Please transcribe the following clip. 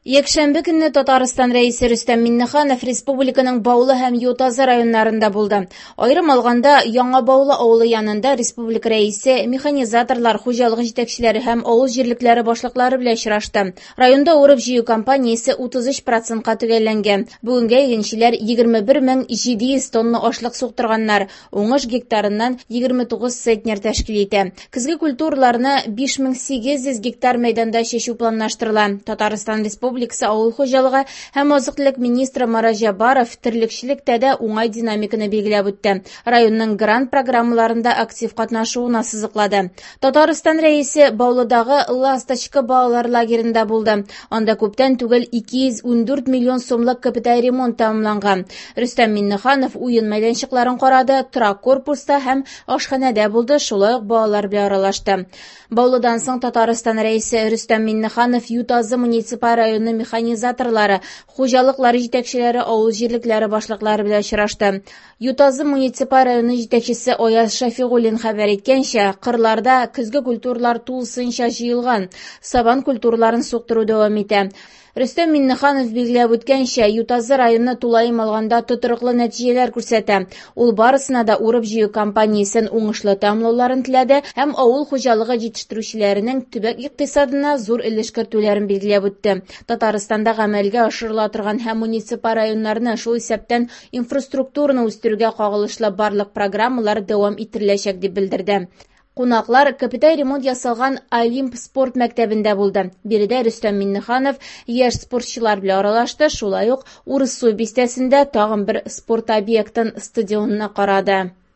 Якшәмбе көнне Татарстан Рәисе Рөстәм Миңнеханов республиканың Баулы һәм Ютазы районнарында булды. Аерым алганда, Яңа Баулы авылы янында республика Рәисе механизаторлар, хуҗалык җитәкчеләре һәм авыл җирлекләре башлыклары белән очрашты. Районда урып-җыю кампаниясе 33 процентка төгәлләнгән. Бүгенгә игенчеләр 21 700 тонна ашлык суктырганнар. Уңыш гектарыннан 29 центнер тәшкил итә. Көзге культураларны 5800 гектар мәйданда чәчү планлаштырыла. Татарстан Республикасы Авыл хуҗалыгы һәм азык-төлек министры Марат Җәббаров терлекчелектә дә уңай динамиканы билгеләп үтте. Районның грант программаларында актив катнашуын ассызыклады. Татарстан Рәисе Баулыдагы «Ласточка» балалар лагеренда булды. Анда күптән түгел 214 миллион сумлык капиталь ремонт тәмамланган. Рөстәм Миңнеханов уен мәйданчыкларын карады, торак корпуста һәм ашханәдә булды, шулай ук балалар белән аралашты. Баулыдан соң Татарстан Рәисе Рөстәм Миңнеханов Ютазы муниципаль районы механизаторлары, хуҗалыклар җитәкчеләре, авыл җирлекләре башлыклары белән очрашты. Ютазы муниципаль районы җитәкчесе Аяз Шәфигуллин хәбәр иткәнчә, кырларда көзге культуралар тулысынча җыелган, сабан культураларын суктыру дәвам итә. Рөстәм Миңнеханов билгеләп үткәнчә, Ютазы районы тулаем алганда тотрыклы нәтиҗәләр күрсәтә. Ул барысына да урып-җыю кампаниясен уңышлы тәмамлауларын теләде һәм авыл хуҗалыгы җитештерүчеләренең төбәк икътисадына зур өлеш кертүләрен билгеләп үтте. Татарстанда гамәлгә ашырыла торган һәм муниципаль районнарны, шул исәптән инфраструктураны үстерүгә кагылышлы барлык программалар дәвам иттереләчәк, дип белдерде. Кунаклар капиталь ремонт ясалган Олимп спорт мәктәбендә булды. Биредә Рөстәм Миңнеханов яшь спортчылар белән аралашты, шулай ук Урыссу бистәсендә тагын бер спорт объектын стадионны карады.